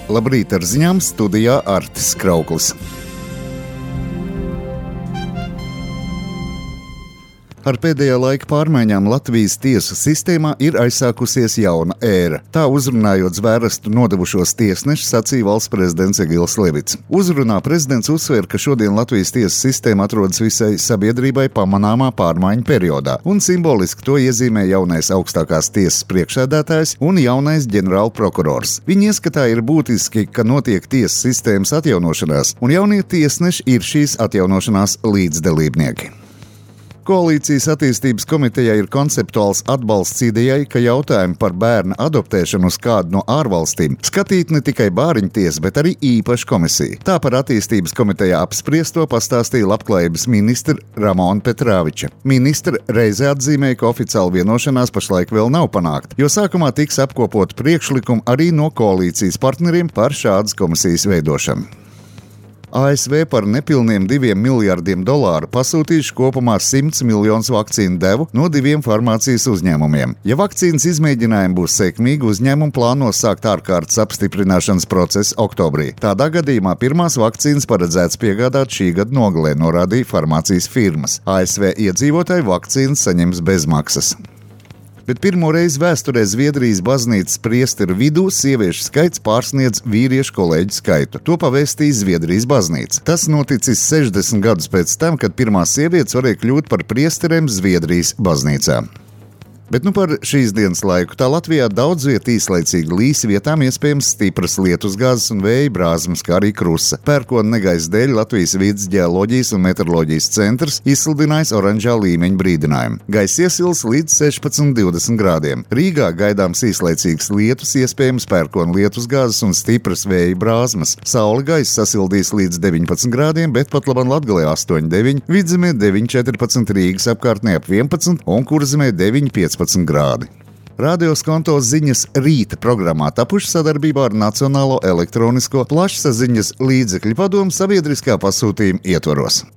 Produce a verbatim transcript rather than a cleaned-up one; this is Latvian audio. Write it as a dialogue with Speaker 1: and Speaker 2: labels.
Speaker 1: Labrīt ar ziņām, studijā Artis Krauklis. Ar pēdējā laika pārmaiņām Latvijas tiesu sistēmā ir aizsākusies jauna ēra. Tā uzrunājot zvērestu nodevušos tiesnešus, sacīja valsts prezidents Egils Levits. Uzrunā prezidents uzsver, ka šodien Latvijas tiesu sistēma atrodas visai sabiedrībai pamanāmā pārmaiņu periodā, un simboliski to iezīmē jaunais augstākās tiesas priekšsēdētājs un jaunais ģenerālprokurors. Viņa ieskatā ir būtiski, ka notiek tiesas sistēmas atjaunošanās, un jaunie tiesneši ir šīs atjaunošanās līdzdalībnieki. Koalīcijas attīstības komitejā ir konceptuāls atbalsts idejai, ka jautājumi par bērna adoptēšanu uz kādu no ārvalstīm skatīt ne tikai bāriņtiesa, bet arī īpaša komisija. Tā par attīstības komitejā apspriesto pastāstīja labklājības ministra Ramona Petrāviča. Ministra reizē atzīmēja, ka oficiāla vienošanās pašlaik vēl nav panākta, jo sākumā tiks apkopot priekšlikumu arī no koalīcijas partneriem par šādas komisijas veidošanu. A S V par nepilniem diviem miljardiem dolāru pasūtījuši kopumā simts miljonus vakcīnu devu no diviem farmācijas uzņēmumiem. Ja vakcīnas izmēģinājumi būs sekmīgi, uzņēmumi plāno sākt ārkārtas apstiprināšanas procesu oktobrī. Tādā gadījumā pirmās vakcīnas paredzēts piegādāt šī gada nogalē, norādīja farmācijas firmas. A S V iedzīvotāji vakcīnas saņems bezmaksas. Bet pirmo reizi vēsturē Zviedrijas baznīcas priesteru vidū sieviešu skaits pārsniedz vīriešu kolēģu skaitu. To pavēstīja Zviedrijas baznīca. Tas noticis sešdesmit gadus pēc tam, kad pirmās sievietes varēja kļūt par priesteriem Zviedrijas baznīcā. Bet nu par šīs dienas laiku. Tā Latvijā daudz viet īslaicīgi līs, vietām iespējams stipras lietusgāzes un vēja brāzmas, kā arī krusa. Pērkona negaisa dēļ Latvijas vides ģeoloģijas un meteoroloģijas centrs izsludinājis oranžā līmeņa brīdinājumu. Gaisa iesils līdz sešpadsmit līdz divdesmit grādiem. Rīgā gaidāms īslaicīgs lietus, iespējams pērkona lietusgāzes un stipras vēja brāzmas. Saule gaisa sasildīs līdz deviņpadsmit grādiem, bet pat labam Latgalē astoņi deviņi, Vidzemē deviņi četrpadsmit, Rīgas apkārtnē ap vienpadsmit un Kurzemē deviņi piecpadsmit grādi. Radio Skonto ziņas rīta programmā tapuši sadarbībā ar Nacionālo elektronisko plašsaziņas līdzekļu padomu sabiedriskā pasūtījuma ietvaros.